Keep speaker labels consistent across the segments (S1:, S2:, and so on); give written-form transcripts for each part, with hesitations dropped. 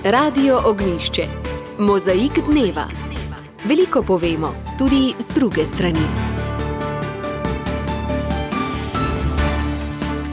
S1: Radio Ognjišče. Mozaik dneva. Veliko povemo, tudi z druge strani.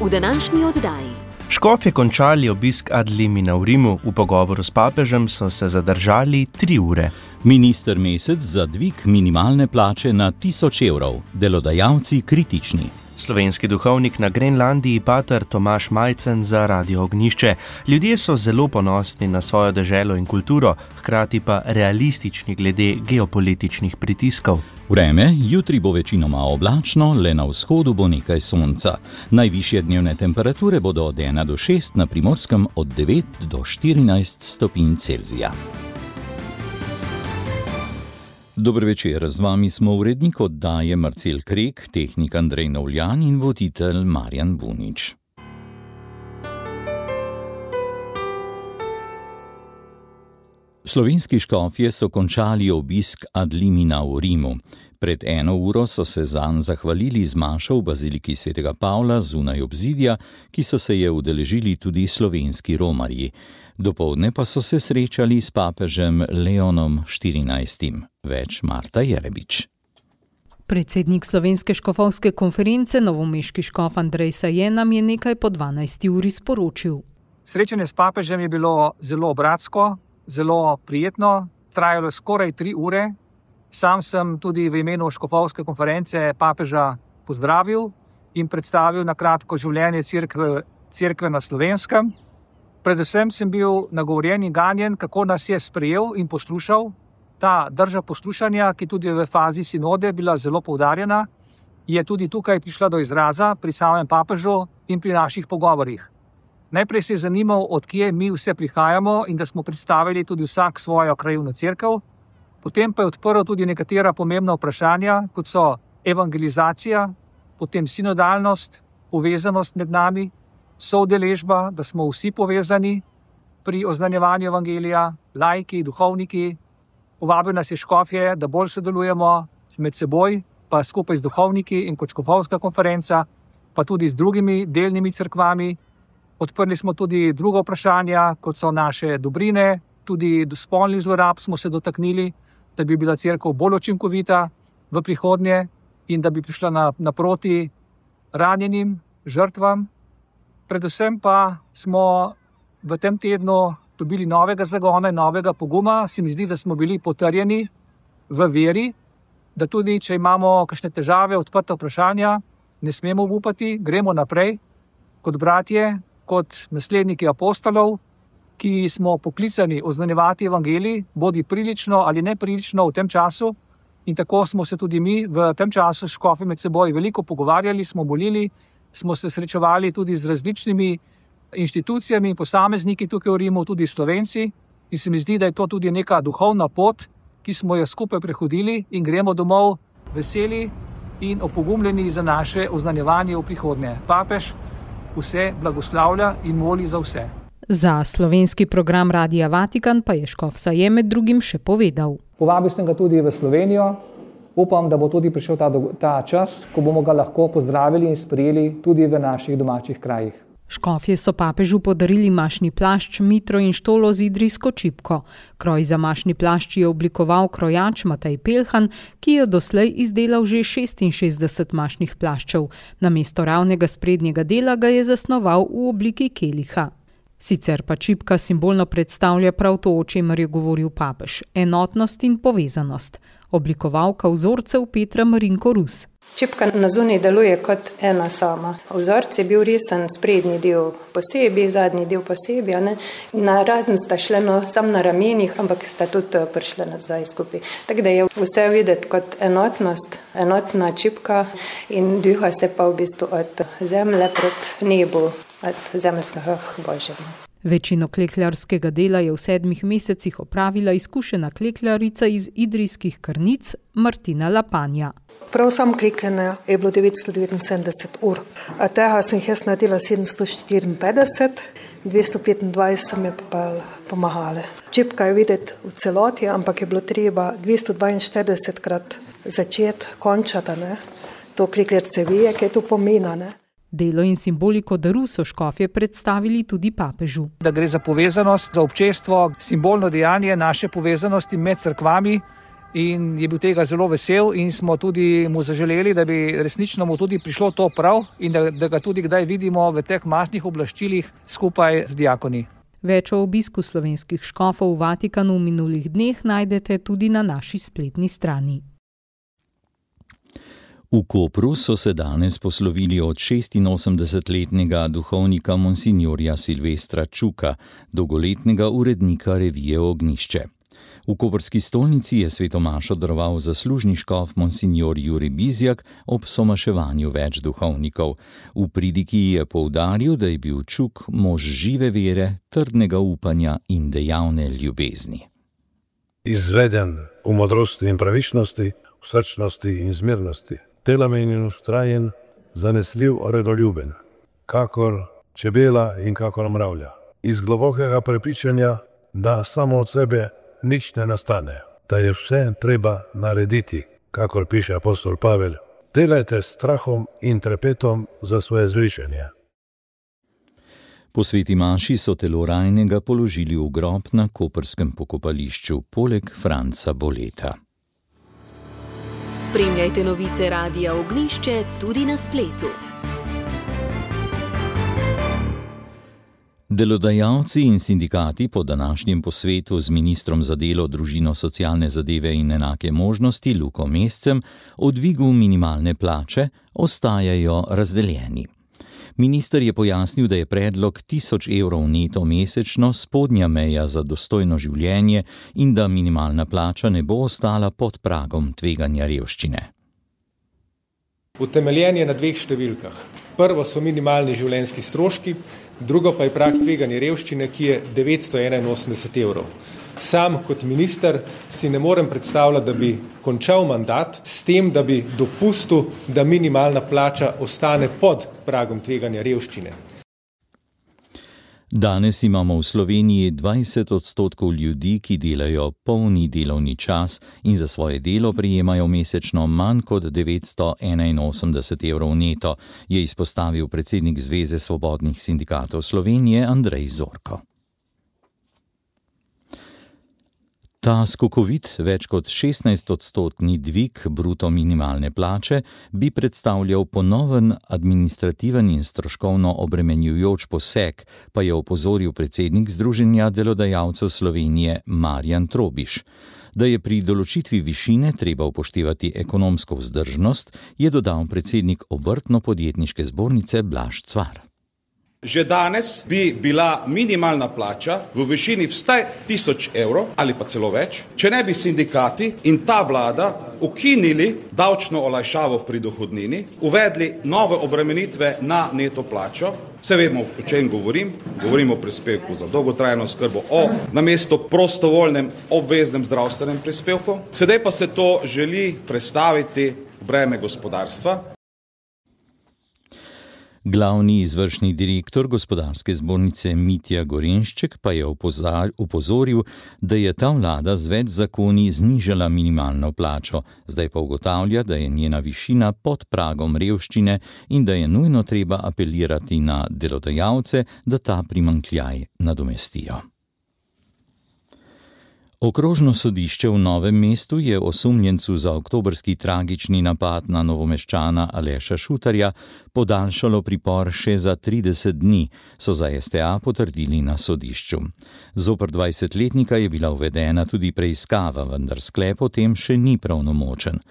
S1: V današnji oddaji.
S2: Škofje končali obisk ad limina v Rimu, v pogovoru s papežem so se zadržali 3 ure.
S3: Minister Mesec za dvig minimalne plače na 1000 evrov, delodajalci kritični.
S2: Slovenski duhovnik na Grenlandiji pater Tomaž Majcen za Radio Ognjišče. Ljudje so zelo ponosni na svojo deželo in kulturo, hkrati pa realistični glede geopolitičnih pritiskov.
S3: Vreme, jutri bo večinoma oblačno, le na vzhodu bo nekaj sonca. Najvišje dnevne temperature bodo od 1 do 6, na Primorskem od 9 do 14 stopinj Celzija. Dober večer, z vami smo urednik oddaje Marcel Krek, tehnik Andrej Novljan in voditelj Marjan Bunič. Slovenski škofje so končali obisk ad limina v Rimu. Pred 1 uro so se zanj zahvalili z mašo v baziliki svetega Pavla zunaj obzidja, ki so se je udeležili tudi slovenski romarji. Dopoldne pa so se srečali s papežem Leonom XIV. Več Marta Jerebič.
S4: Predsednik Slovenske škofovske konference, novomeški škof Andrej Sajen, nam je nekaj po 12 uri sporočil.
S5: Srečanje s papežem je bilo zelo bratsko, zelo prijetno, trajalo skoraj 3 ure. Sam sem tudi v imenu škofovske konference papeža pozdravil in predstavil na kratko življenje cerkve na Slovenskem. Predvsem sem bil nagovorjen in ganjen, kako nas je sprejel in poslušal. Ta drža poslušanja, ki tudi v fazi sinode bila zelo poudarjena, je tudi tukaj prišla do izraza pri samem papežu in pri naših pogovorih. Najprej se je zanimal, od kje mi vse prihajamo in da smo predstavili tudi vsak svojo krajevno cerkev. Potem pa je odprl tudi nekatera pomembna vprašanja, kot so evangelizacija, potem sinodalnost, povezanost med nami, soudeležba, da smo vsi povezani pri oznanjevanju evangelija, laiki, duhovniki. Povabil nas je škofje, da bolj sodelujemo med seboj, pa skupaj z duhovniki in kot škofovska konferenca, pa tudi z drugimi delnimi cerkvami. Odprli smo tudi druga vprašanja, kot so naše dobrine, tudi do spolnih zlorab smo se dotaknili, da bi bila cerkev bolj učinkovita v prihodnje in da bi prišla naproti ranjenim žrtvam. Predvsem pa smo v tem tednu dobili novega zagona in novega poguma. Se mi zdi, da smo bili potrjeni v veri, da tudi, če imamo kakšne težave, odprta vprašanja, ne smemo upati, gremo naprej kot bratje, kot nasledniki apostolov, ki smo poklicani oznanjevati evangelij, bodi prilično ali neprilično v tem času. In tako smo se tudi mi v tem času škofi med seboj veliko pogovarjali, smo molili, smo se srečevali tudi z različnimi inštitucijami in posamezniki tukaj v Rimu, tudi Slovenci. In se mi zdi, da je to tudi neka duhovna pot, ki smo jo skupaj prehodili in gremo domov veseli in opogumljeni za naše oznanjevanje v prihodnje. Papež vse blagoslavlja in moli za vse.
S4: Za slovenski program Radia Vatikan pa je škof Sajen med drugim še povedal.
S5: Povabil sem ga tudi v Slovenijo. Upam, da bo tudi prišel ta čas, ko bomo ga lahko pozdravili in sprejeli tudi v naših domačih krajih.
S4: Škofje so papežu podarili mašni plašč, mitro in štolo z idrijsko čipko. Kroj za mašni plašč je oblikoval krojač Matej Pelhan, ki je doslej izdelal že 66 mašnih plaščev. Namesto ravnega sprednjega dela ga je zasnoval v obliki keliha. Sicer pa čipka simbolno predstavlja prav to, o čemer je govoril papež, enotnost in povezanost. Oblikovalka vzorcev Petra Marinko Rus.
S6: Čipka na zunaj deluje kot ena sama. Vzorc je bil risan, sprednji del posebej, zadnji del posebej. Na razen sta šle sam na ramenih, ampak sta tudi prišle nazaj skupaj. Tako da je vse videti kot enotnost, enotna čipka in dviha se pa v bistvu od zemlje proti nebu, od zemeljskega božjega.
S4: Večino klekljarskega dela je v 7 mesecih opravila izkušena klekljarica iz idrijskih Krnic Martina Lapanja.
S7: Prav sam klekljanja je bilo 979 ur. A tega sem jaz naredila 754, 225 mi je pa pomagale. Čipka je videti v celoti, ampak je bilo treba 242krat začeti, končati. To klekljarce ve, kaj to pomeni.
S4: Delo in simboliko daru so škofje predstavili tudi papežu.
S5: Da gre za povezanost, za občestvo, simbolno dejanje naše povezanosti med cerkvami in je bil tega zelo vesel in smo tudi mu zaželeli, da bi resnično mu tudi prišlo to prav in da ga tudi kdaj vidimo v teh masnih oblaščilih skupaj z diakoni.
S4: Več o obisku slovenskih škofov v Vatikanu v minulih dneh najdete tudi na naši spletni strani.
S3: V Kopru so se danes poslovili od 86-letnega duhovnika monsignorja Silvestra Čuka, dolgoletnega urednika revije Ognjišče. V koprski stolnici je svetomašo daroval zaslužni škof monsignor Jurij Bizjak ob somaševanju več duhovnikov. V pridiki je poudaril, da je bil Čuk mož žive vere, trdnega upanja in dejavne ljubezni.
S8: Izveden v modrosti in pravičnosti, v srčnosti in zmernosti, telamen in vztrajen, zanesljiv, redoljuben, kakor čebela in kakor mravlja. Iz globokega prepričanja, da samo od sebe nič ne nastane, da je vse treba narediti, kakor piše apostol Pavel. Delajte s strahom in trepetom za svoje zvričenje.
S3: Po sveti maši so telo rajnega položili v grob na koprskem pokopališču, poleg Franca Boleta.
S1: Spremljajte novice Radia Ognjišče tudi na spletu.
S3: Delodajalci in sindikati po današnjem posvetu z ministrom za delo, družino, socialne zadeve in enake možnosti Luko Mescem o dvigu minimalne plače ostajajo razdeljeni. Minister je pojasnil, da je predlog 1000 evrov neto mesečno spodnja meja za dostojno življenje in da minimalna plača ne bo ostala pod pragom tveganja revščine.
S9: Utemeljen je na dveh številkah. Prvo so minimalni življenjski stroški, drugo pa je prag tveganja revščine, ki je 981 evrov. Sam kot minister si ne morem predstavljati, da bi končal mandat s tem, da bi dopustil, da minimalna plača ostane pod pragom tveganja revščine.
S3: Danes imamo v Sloveniji 20% ljudi, ki delajo polni delovni čas in za svoje delo prejemajo mesečno manj kot 981 evrov neto, je izpostavil predsednik Zveze svobodnih sindikatov Slovenije Andrej Zorko. Ta skokovit, več kot 16% dvig bruto minimalne plače bi predstavljal ponoven administrativen in stroškovno obremenjujoč poseg, pa je opozoril predsednik Združenja delodajalcev Slovenije Marjan Trobiš. Da je pri določitvi višine treba upoštevati ekonomsko vzdržnost, je dodal predsednik Obrtno-podjetniške zbornice Blaž Cvar.
S10: Že danes bi bila minimalna plača v višini vsaj 1000 evrov ali pa celo več, če ne bi sindikati in ta vlada ukinili davčno olajšavo pri dohodnini, uvedli nove obremenitve na neto plačo. Vse vemo, o čem govorim. Govorim o prispevku za dolgotrajno oskrbo, namesto prostovoljnem obveznem zdravstvenem prispevku. Sedaj pa se to želi prestaviti v breme gospodarstva.
S3: Glavni izvršni direktor gospodarske zbornice Mitja Gorenšček pa je opozoril, da je ta vlada z več zakoni znižala minimalno plačo, zdaj pa ugotavlja, da je njena višina pod pragom revščine in da je nujno treba apelirati na delodajalce, da ta primanjkljaj nadomestijo. Okrožno sodišče v Novem mestu je osumljencu za oktobrski tragični napad na Novomeščana Aleša Šutarja podaljšalo pripor še za 30 dni, so za STA potrdili na sodišču. Zoper 20-letnika je bila uvedena tudi preiskava, vendar sklep o tem še ni pravnomočen.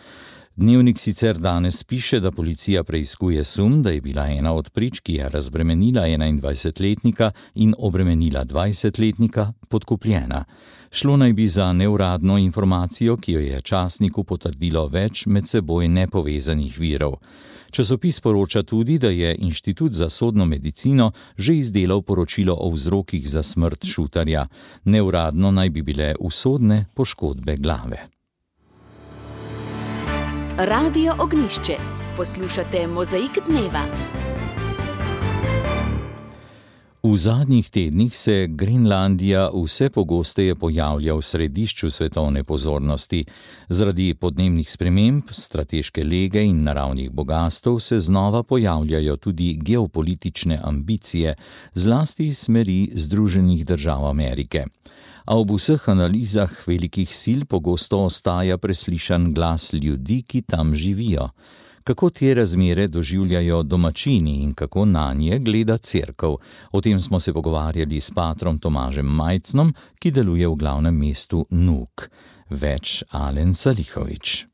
S3: Dnevnik sicer danes piše, da policija preiskuje sum, da je bila ena od prič, ki je razbremenila 21-letnika in obremenila 20-letnika, podkupljena. Šlo naj bi za neuradno informacijo, ki jo je časniku potrdilo več med seboj nepovezanih virov. Časopis poroča tudi, da je Inštitut za sodno medicino že izdelal poročilo o vzrokih za smrt Šutarja. Neuradno naj bi bile usodne poškodbe glave.
S1: Radio Ognjišče. Poslušate Mozaik dneva.
S3: V zadnjih tednih se Grenlandija vse pogosteje pojavlja v središču svetovne pozornosti. Zaradi podnebnih sprememb, strateške lege in naravnih bogastev se znova pojavljajo tudi geopolitične ambicije, zlasti iz smeri Združenih držav Amerike. A ob vseh analizah velikih sil pogosto ostaja preslišan glas ljudi, ki tam živijo. Kako te razmere doživljajo domačini in kako nanje gleda cerkev? O tem smo se pogovarjali s patrom Tomažem Majcnom, ki deluje v glavnem mestu Nuuk. Več Alen Salihović.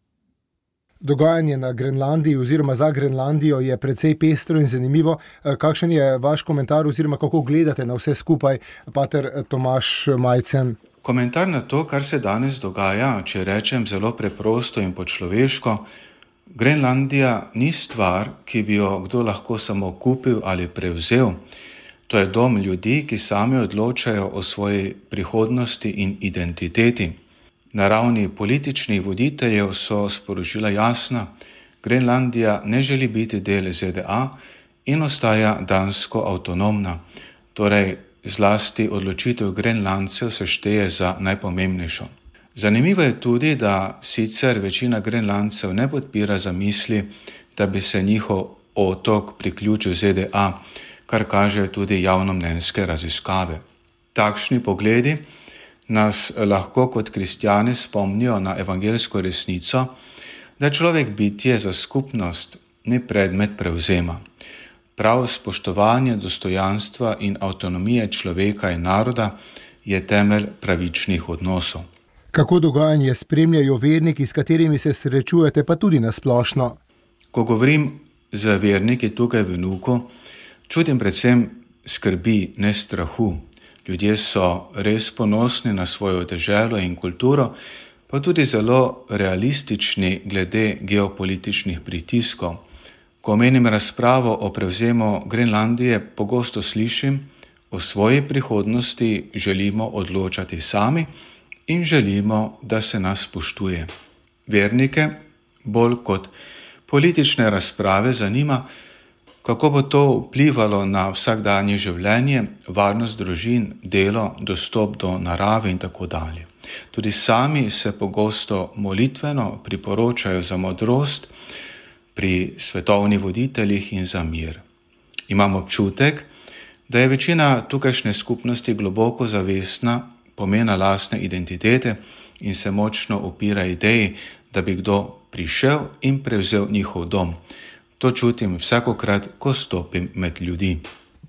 S11: Dogajanje na Grenlandiji oziroma za Grenlandijo je precej pestro in zanimivo. Kakšen je vaš komentar oziroma kako gledate na vse skupaj, pater Tomaž Majcen?
S12: Komentar na to, kar se danes dogaja, če rečem zelo preprosto in po človeško, Grenlandija ni stvar, ki bi jo kdo lahko samo kupil ali prevzel. To je dom ljudi, ki sami odločajo o svoji prihodnosti in identiteti. Na ravni političnih voditeljev so sporočila jasna. Grenlandija ne želi biti del ZDA in ostaja dansko avtonomna. Torej, zlasti odločitev Grenlandcev se šteje za najpomembnejšo. Zanimivo je tudi, da sicer večina Grenlandcev ne podpira zamisli, da bi se njihov otok priključil ZDA, kar kažejo tudi javnomnenjske raziskave. Takšni pogledi nas lahko kot kristjani spomnijo na evangeljsko resnico, da je človek bitje za skupnost, ni predmet prevzema. Prav spoštovanje dostojanstva in avtonomije človeka in naroda je temelj pravičnih odnosov.
S11: Kako dogajanje spremljajo verniki, s katerimi se srečujete, pa tudi na splošno?
S12: Ko govorim z verniki tukaj v Nuuku, čutim predvsem skrbi, ne strahu. Ljudje so res ponosni na svojo deželo in kulturo, pa tudi zelo realistični glede geopolitičnih pritiskov. Ko omenim razpravo o prevzemu Grenlandije, pogosto slišim, o svoji prihodnosti želimo odločati sami in želimo, da se nas spoštuje. Vernike bolj kot politične razprave zanima, kako bo to vplivalo na vsakdanje življenje, varnost družin, delo, dostop do narave in tako dalje. Tudi sami se pogosto molitveno priporočajo za modrost pri svetovnih voditeljih in za mir. Imam občutek, da je večina tukajšnje skupnosti globoko zavestna pomena lastne identitete in se močno upira ideji, da bi kdo prišel in prevzel njihov dom. To čutim vsakokrat, ko stopim med ljudi.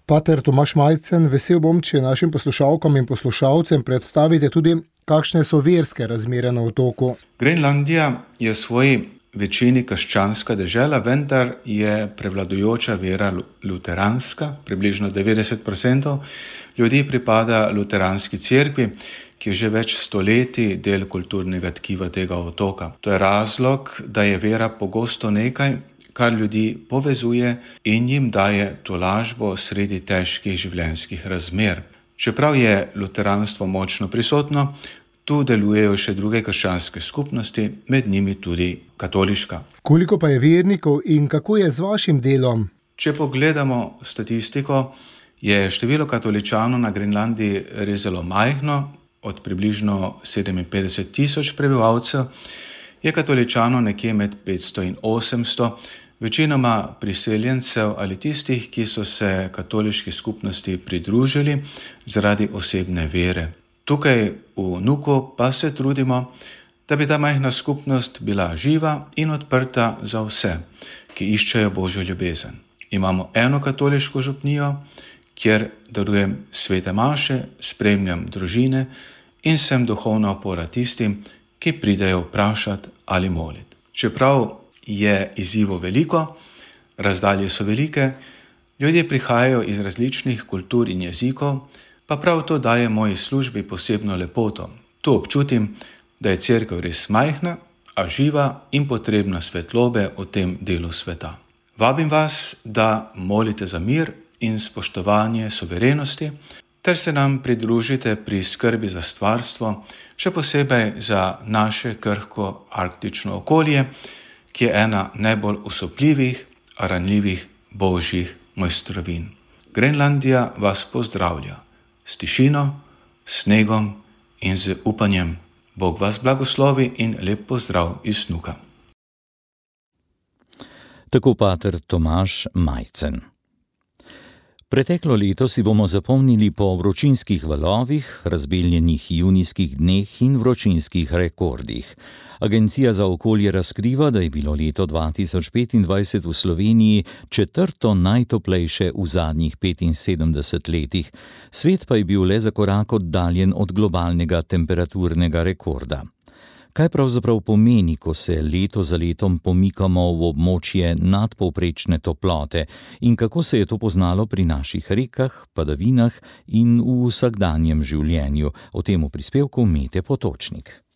S11: Pater Tomaž Majcen, vesel bom, če našim poslušalkam in poslušalcem predstavite tudi, kakšne so verske razmere na otoku.
S12: Grenlandija je v svoji večini krščanska dežela, vendar je prevladujoča vera luteranska, približno 90% ljudi pripada luteranski cerkvi, ki je že več stoletij del kulturnega tkiva tega otoka. To je razlog, da je vera pogosto nekaj, kar ljudi povezuje in jim daje tolažbo sredi težkih življenjskih razmer. Čeprav je luteranstvo močno prisotno, tu delujejo še druge krščanske skupnosti, med njimi tudi katoliška.
S11: Koliko pa je vernikov in kako je z vašim delom?
S12: Če pogledamo statistiko, je število katoličanov na Grenlandiji res zelo majhno, od približno 57,000 prebivalcev, je katoličanov nekje med 500 in 800, večinoma priseljencev ali tistih, ki so se katoliški skupnosti pridružili zaradi osebne vere. Tukaj v Nuuku pa se trudimo, da bi ta majhna skupnost bila živa in odprta za vse, ki iščejo Božjo ljubezen. Imamo eno katoliško župnijo, kjer darujem svete maše, spremljam družine in sem duhovna opora tistim, ki pridejo vprašati ali moliti. Čeprav je izzivov veliko, razdalje so velike, ljudje prihajajo iz različnih kultur in jezikov, pa prav to daje moji službi posebno lepoto. Tu občutim, da je cerkev res majhna, a živa in potrebna svetlobe v tem delu sveta. Vabim vas, da molite za mir in spoštovanje suverenosti, ter se nam pridružite pri skrbi za stvarstvo, še posebej za naše krhko arktično okolje, ki je ena najbolj osupljivih, ranljivih božjih mojstrovin. Grenlandija vas pozdravlja s tišino, snegom in z upanjem. Bog vas blagoslovi in lep pozdrav iz Nuka.
S3: Tako pater Tomaž Majcen. Preteklo leto si bomo zapomnili po vročinskih valovih, razbeljenih junijskih dneh in vročinskih rekordih. Agencija za okolje razkriva, da je bilo leto 2025 v Sloveniji četrto najtoplejše v zadnjih 75 letih. Svet pa je bil le za korak oddaljen od globalnega temperaturnega rekorda. Kaj pravzaprav pomeni, ko se leto za letom pomikamo v območje nadpovprečne toplote in kako se je to poznalo pri naših rekah, padavinah in v vsakdanjem življenju? O tem v prispevku Mete Potočnik.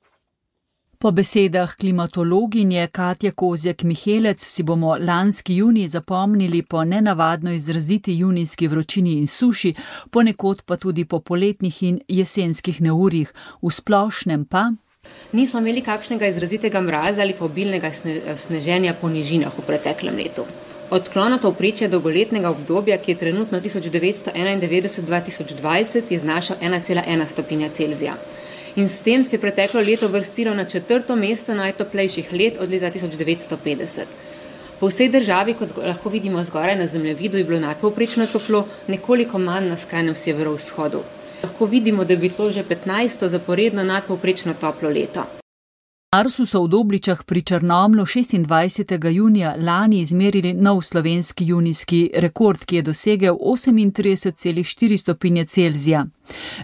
S13: Po besedah klimatologinje Katje Kozjek-Mihelec si bomo lanski junij zapomnili po nenavadno izraziti junijski vročini in suši, ponekod pa tudi po poletnih in jesenskih neurjih, v splošnem pa
S14: nismo imeli kakšnega izrazitega mraza ali pa obilnega sneženja po nižinah v preteklem letu. Odklon od povprečja dolgoletnega obdobja, ki je trenutno 1991-2020, je znašal 1,1 stopinja Celzija. In s tem se je preteklo leto vrstilo na 4. mesto najtoplejših let od leta 1950. Po vsej državi, kot lahko vidimo zgoraj na zemljevidu, je bilo nadpovprečno toplo, nekoliko manj na skrajnem severovzhodu. Lahko vidimo, da je bilo že 15. zaporedno nadpovprečno toplo leto.
S13: Arsu so v Dobličah pri Črnomlju 26. junija lani izmerili nov slovenski junijski rekord, ki je dosegel 38,4 stopinje Celzija.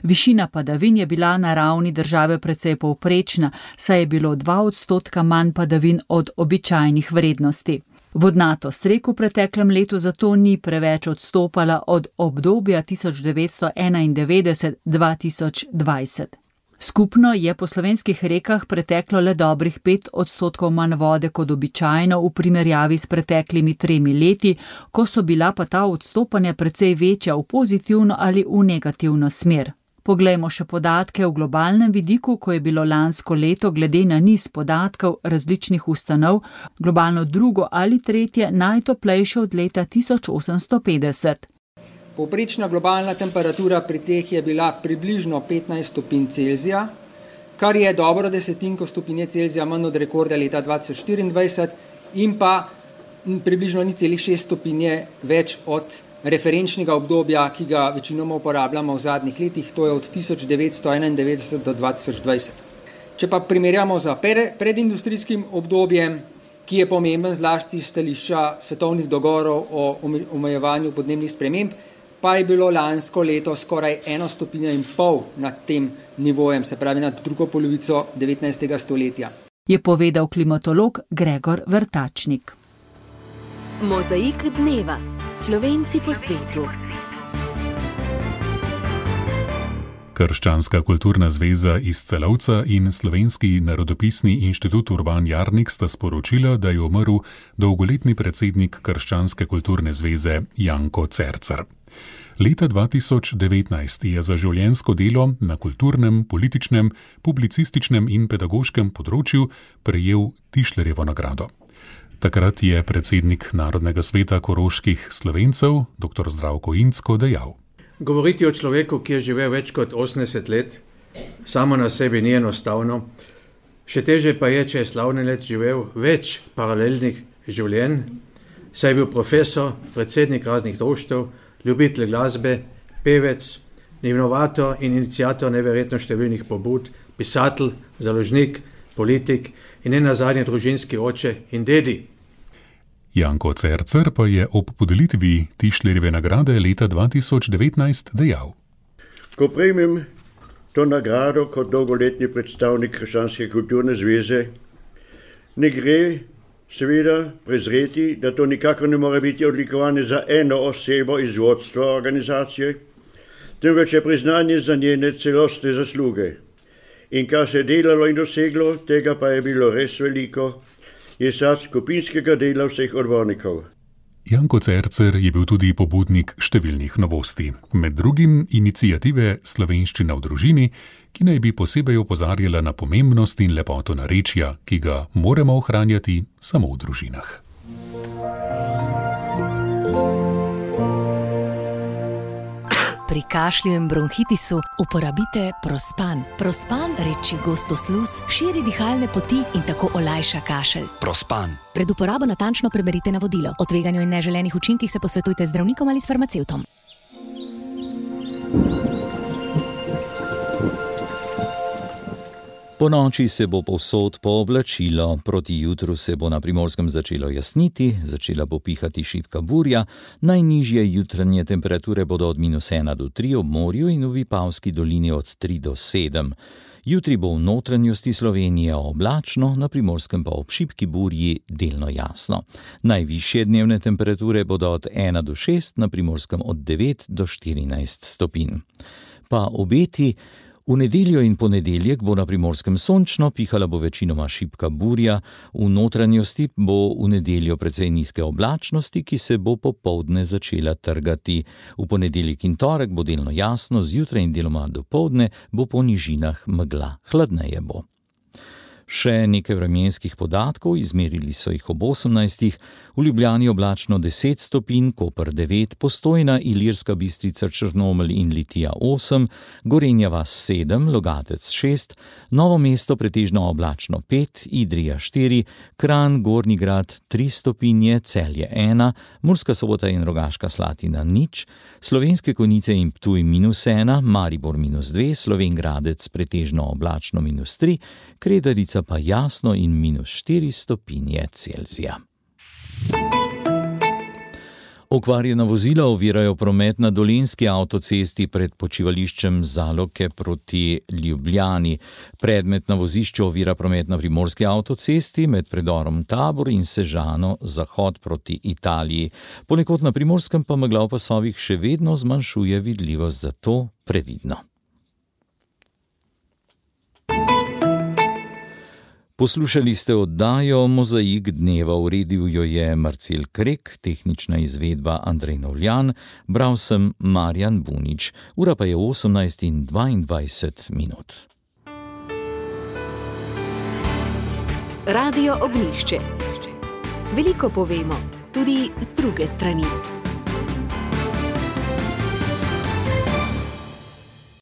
S13: Višina padavin je bila na ravni države precej povprečna, saj je bilo 2% manj padavin od običajnih vrednosti. Vodnatost rek v preteklem letu zato ni preveč odstopala od obdobja 1991-2020. Skupno je po slovenskih rekah preteklo le dobrih 5% manj vode kot običajno v primerjavi s preteklimi 3 leti, ko so bila pa ta odstopanja precej večja v pozitivno ali v negativno smer. Poglejmo še podatke v globalnem vidiku, ko je bilo lansko leto glede na niz podatkov različnih ustanov globalno drugo ali tretje najtoplejše od leta 1850.
S15: Povprečna globalna temperatura pri teh je bila približno 15 stopinj Celzija, kar je dobro desetinko stopinje Celzija manj od rekorda leta 2024 in pa približno 0,6 stopinje več od referenčnega obdobja, ki ga večinoma uporabljamo v zadnjih letih, to je od 1991 do 2020. Če pa primerjamo z predindustrijskim obdobjem, ki je pomemben zlasti stališča svetovnih dogovorov o omejevanju podnebnih sprememb, pa je bilo lansko leto skoraj 1,5 stopinje nad tem nivojem, se pravi nad drugo polovico 19. stoletja.
S13: Je povedal klimatolog Gregor Vrtačnik.
S1: Mozaik dneva. Slovenci po svetu.
S16: Krščanska kulturna zveza iz Celovca in Slovenski narodopisni inštitut Urban Jarnik sta sporočila, da je umrl dolgoletni predsednik Krščanske kulturne zveze Janko Cercer. Leta 2019 je za življenjsko delo na kulturnem, političnem, publicističnem in pedagoškem področju prejel Tišlerjevo nagrado. Takrat je predsednik Narodnega sveta koroških Slovencev, dr. Zdravko Incko, dejal:
S17: Govoriti o človeku, ki je živel več kot 80 let, samo na sebi ni enostavno. Še teže pa je, če je slavni let živel več paralelnih življenj, saj je bil profesor, predsednik raznih društev, ljubitelj glasbe, pevec, inovator in iniciator neverjetno številnih pobud, pisatelj, založnik, politik in nenazadnje družinski oče in dedi.
S16: Janko Cercer pa je ob podelitvi Tišlerjeve nagrade leta 2019 dejal:
S18: Ko prejmem to nagrado kot dolgoletni predstavnik Krščanske kulturne zveze, ne gre seveda prezreti, da to nikakor ne more biti odlikovanje za eno osebo iz vodstva organizacije, temveč je priznanje za njene celostne zasluge. In kar se je delalo in doseglo, tega pa je bilo res veliko, je sad skupinskega dela vseh odbornikov.
S16: Janko Cercer je bil tudi pobudnik številnih novosti, med drugim iniciative Slovenščina v družini, ki naj bi posebej opozarjala na pomembnost in lepoto narečja, ki ga moramo ohranjati samo v družinah.
S19: Pri kašlju in bronhitisu uporabite Prospan. Prospan reči gosto sluz, širi dihalne poti in tako olajša kašelj.
S20: Prospan.
S19: Pred uporabo natančno preberite navodilo. O tveganju in neželenih učinkih se posvetujte z zdravnikom ali s farmacevtom.
S3: Po noči se bo povsod pooblačilo, proti jutru se bo na Primorskem začelo jasniti, začela bo pihati šibka burja, najnižje jutranje temperature bodo od -1 do 3 ob morju in v Vipavski dolini od 3 do 7. Jutri bo v notranjosti Slovenije oblačno, na Primorskem pa ob šibki burji delno jasno. Najvišje dnevne temperature bodo od 1 do 6, na Primorskem od 9 do 14 stopinj. Pa obeti. V nedeljo in ponedeljek bo na Primorskem sončno, pihala bo večinoma šibka burja, v notranjosti bo v nedeljo precej nizke oblačnosti, ki se bo popoldne začela trgati. V ponedeljek in torek bo delno jasno, zjutraj in deloma dopoldne bo po nižinah megla, hladneje bo. Še nekaj vremenskih podatkov, izmerili so jih ob 18. V Ljubljani oblačno 10 stopinj, Koper 9, Postojna, Ilirska Bistrica, Črnomelj in Litija 8, Gorenja vas 7, Logatec 6, Novo mesto pretežno oblačno 5, Idrija 4, Kranj, Gornji Grad 3 stopinje, Celje 1, Murska Sobota in Rogaška Slatina 0, Slovenske Konjice in Ptuj -1, Maribor -2, Slovenj Gradec pretežno oblačno -3, Kredarica pa jasno in -4 stopinje Celzija. Okvarjena vozila ovirajo promet na Dolenjski avtocesti pred počivališčem Zaloke proti Ljubljani. Predmet na vozišču ovira promet na Primorski avtocesti med predorom Tabor in Sežano zahod proti Italiji. Ponekod na Primorskem pa megla v pasovih še vedno zmanjšuje vidljivost, zato previdno. Poslušali ste oddajo Mozaik dneva, uredil jo je Marcel Krek, tehnična izvedba Andrej Novljan, bral sem Marjan Bunič, ura pa je 18:22.
S1: Radio Ognjišče. Veliko povemo, tudi z druge strani.